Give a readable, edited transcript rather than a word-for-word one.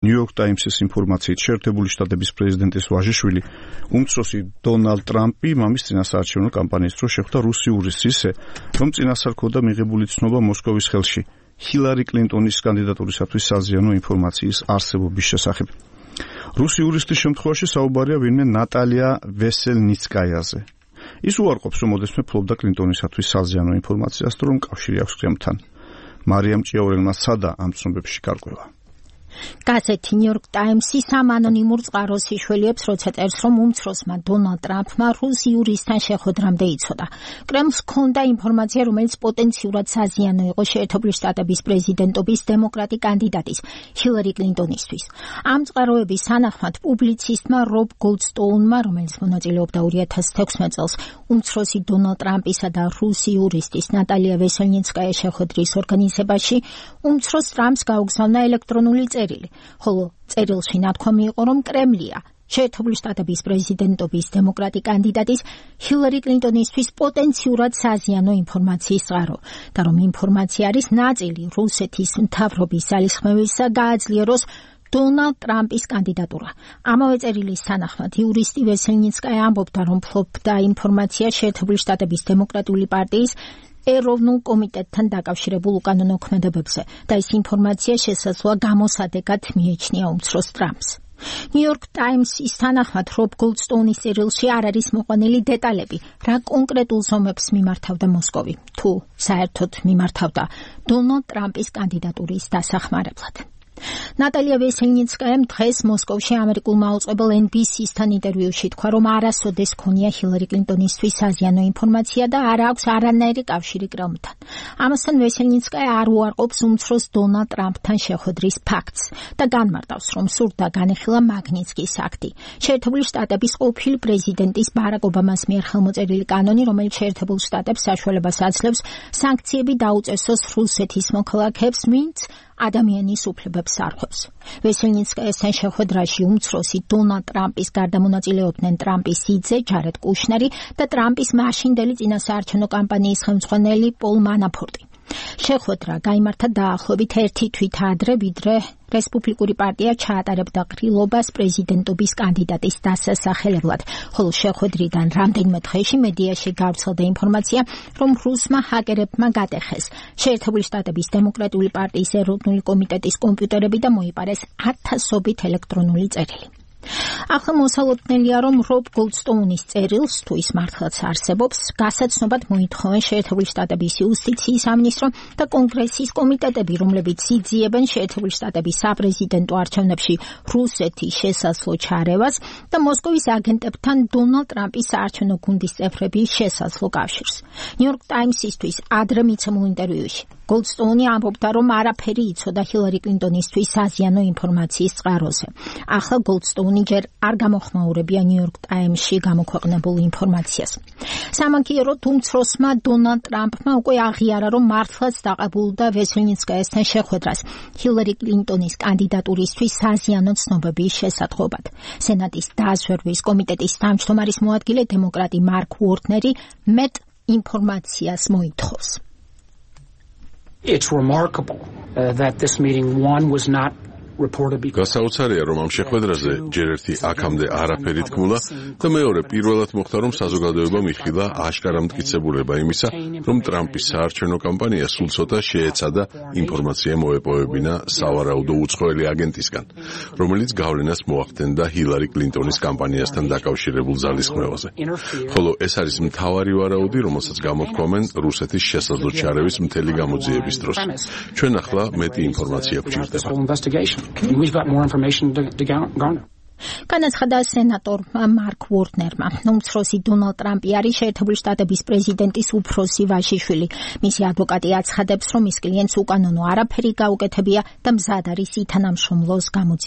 New York Times-ის ინფორმაციით, შეერთებული შტატების პრეზიდენტის ვაჟიშვილი, უმცროსი დონალდ ტრამპი მამის წინასაარჩევნო კამპანიის დროს შეხვდა რუსი იურისტს ისე, რომ წინასწარ ჰქონდა მიღებული ცნობა მოსკოვის ხელში ჰილარი კლინტონის კანდიდატურისათვის საზიანო ინფორმაციის არსებობის შესახებ. რუსი იურისტის შემთხვევაში საუბარია ვინმე ნატალია ვესელნიცკაიაზე. ის უარყოფს, რომ ოდესმე ფლობდა კლინტონისათვის საზიანო ინფორმაციას, თუ რომ კავშირი აქვს კრემლთან. მარიამ ჭიაურელმა სცადა ამ ცნობებში გარკვევა. გაზეთი New York Times-ის ამ ანონიმურ წყაროს იშველიებს, როცა წერს, რომ უმცროსმა დონალდ ტრამპმა რუსი იურისტთან შეხვედრამდე იცოდა. კრემლს ჰქონდა ინფორმაცია, რომელიც პოტენციურად საზიანო იყო შეერთებული შტატების პრეზიდენტობის დემოკრატი კანდიდატის ჰილარი კლინტონისთვის. ამ წყაროების თანახმად პუბლიცისტმა რობ გოლდსტოუნმა, რომელიც მონაწილეობდა 2016 წელს უმცროსი დონალდ ტრამპისა და რუსი იურისტის ნატალია ვესელნიცკაიას შეხვედრის ორგანიზებაში, უმცროს ტრამპს გაუგზავნა ელექტრონული წერილი, ხოლო წერილში ნათქვამი იყო, რომ კრემლია შეერთებული შტატების პრეზიდენტობის დემოკრატი კანდიდატის ჰილარი კლინტონისთვის პოტენციურად საზიანო ინფორმაციის წყარო და რომ ინფორმაცია არის ნაწილი რუსეთის მთავრობის ძალისხმევისა გააძლიეროს დონალდ ტრამპის კანდიდატურა. ამავე წერილის თანახმად იურისტი ვესელნიცკაია ამბობდა, რომ ფლობდა ინფორმაცია შეერთებული შტატების დემოკრატიული პარტიის ეროვნულ კომიტეტთან დაკავშირებულ უკანონო ქმედებებზე და ეს ინფორმაცია შესაძლოა გამოსადეგად მიეჩნია უმცროს ტრამპს. New York Times-ის თანახმად რობ გოლდსტოუნის წერილში არ არის მოყვანილი დეტალები, რა კონკრეტულ ზომებს მიმართავდა მოსკოვი, თუ საერთოდ მიმართავდა დონალდ ტრამპის კანდიდატურის დასახმარებლად. ნატალია ვესელნიცკაიამ დღეს მოსკოვში ამერიკულმა აუწყებელ NBC-სთან ინტერვიუში თქვა, რომ არასოდეს ქონია ჰილარი კლინტონისთვის საზიანო ინფორმაცია და არ აქვს არანაირი კავშირი კრემლთან. ამასთან ვესელნიცკაია არ უარყოფს უმცროს დონალდ ტრამპთან შეხვედრის ფაქტს და განმარტავს, რომ სურდა განიხილა მაგნიცკის აქტი, შეერთებული შტატების ყოფილი პრეზიდენტის ბარაკ ობამას მიერ ხელმოწერილი კანონი, რომელიც შეერთებულ შტატებს საშუალებას აძლევს სანქციები დაუწესოს რუსეთის მოქალაქეებს, ვინც ადამიანის უფლებებს არღვევს. ვესელნიცკაიასთან შეხვედრაში უმცროსი დონალდ ტრამპის გარდა მონაწილეობდნენ ტრამპის სიძე ჯარედ კუშნერი და ტრამპის მაშინდელი წინასაარჩევნო კამპანიის ხელმძღვანელი პოლ მანაფორტი. შეხვედრა გაიმართა დაახლოებით 1 თვით ადრე, ვიდრე რესპუბლიკური პარტია ჩაატარებდა ყრილობას პრეზიდენტობის კანდიდატის დასასახელებლად, ხოლო შეხვედრიდან რამდენიმე დღეში მედიაში გავრცელდა ინფორმაცია, რომ რუსმა ჰაკერებმა გადახეს შეერთებული შტატების დემოკრატიული პარტიის ეროვნული კომიტეტის კომპიუტერები და მოიპარეს ათასობით ელექტრონული წერილი. ახლა მოსალოდნელია, რომ რობ გოლდსტოუნის წერილს, თუ ის მართლაც არსებობს, გასაცნობად მოითხოვენ შეერთებული შტატების იუსტიციის სამინისტრო და კონგრესის კომიტეტები, რომლებიც იძიებენ შეერთებული შტატების საპრეზიდენტო არჩევნებში რუსეთის შესაძლო ჩარევას და მოსკოვის აგენტებთან დონალდ ტრამპის საარჩევნო გუნდის წევრების შესაძლო კავშირს. New York Times-ისთვის ადრე მიცემულ ინტერვიუში გოლდსტოუნი ამბობდა, რომ არაფერი იცოდა ჰილარი კლინტონისთვის საზიანო ინფორმაციის წყაროზე. ახლა გოლდსტოუნი ჯერ არ გამოხმაურებია New York Times-ში გამოქვეყნებულ ინფორმაციას. სამაგიეროდ უმცროსმა დონალდ ტრამპმა უკვე აღიარა, რომ მართლაც დაყებულდა ვესელნიცკაიასთან შეხვედრას ჰილარი კლინტონის კანდიდატურისთვის საზიანო ცნობების შესატყობად. სენატის დაზვერვის კომიტეტის თავმჯდომარის მოადგილე დემოკრატი მარკ უორნერი მეტ ინფორმაციას მოითხოვს. It's remarkable that this meeting was not გასაოცარია, რომ ამ შეხვედრაზე ჯერ ერთი აქამდე არაფერი თქმულა და მეორე პირველად მოხდა, რომ საზოგადოებამ იხილა აშკარა მტკიცებულება იმისა, რომ ტრამპის საარჩევნო კამპანია სულ ცოტა შეეცადა ინფორმაცია მოეპოვებინა სავარაუდო უცხოელი აგენტისგან, რომელიც გავლენას მოახდენდა ჰილარი კლინტონის კამპანიასთან დაკავშირებულ ძალისხმევაზე. ხოლო ეს არის მთავარი ვარაუდი, რომელსაც გამოთქვამენ რუსეთის შესაძლო ჩარევის მთელი გამოძიების დროს. ჩვენ ახლა მეტი ინფორმაცია გვჭირდება. We've got more information to garner. განაცხადა სენატორმა მარკ უორნერმა. უმცროსი დონალდ ტრამპი არის შეერთებული შტატების პრეზიდენტის უფროსი ვაჟიშვილი. მისი ადვოკატი აცხადებს, რომ ის კლიენტს უკანონო არაფერი გაუკეთებია და მზად არის ითანამშრომლოს გამოძიების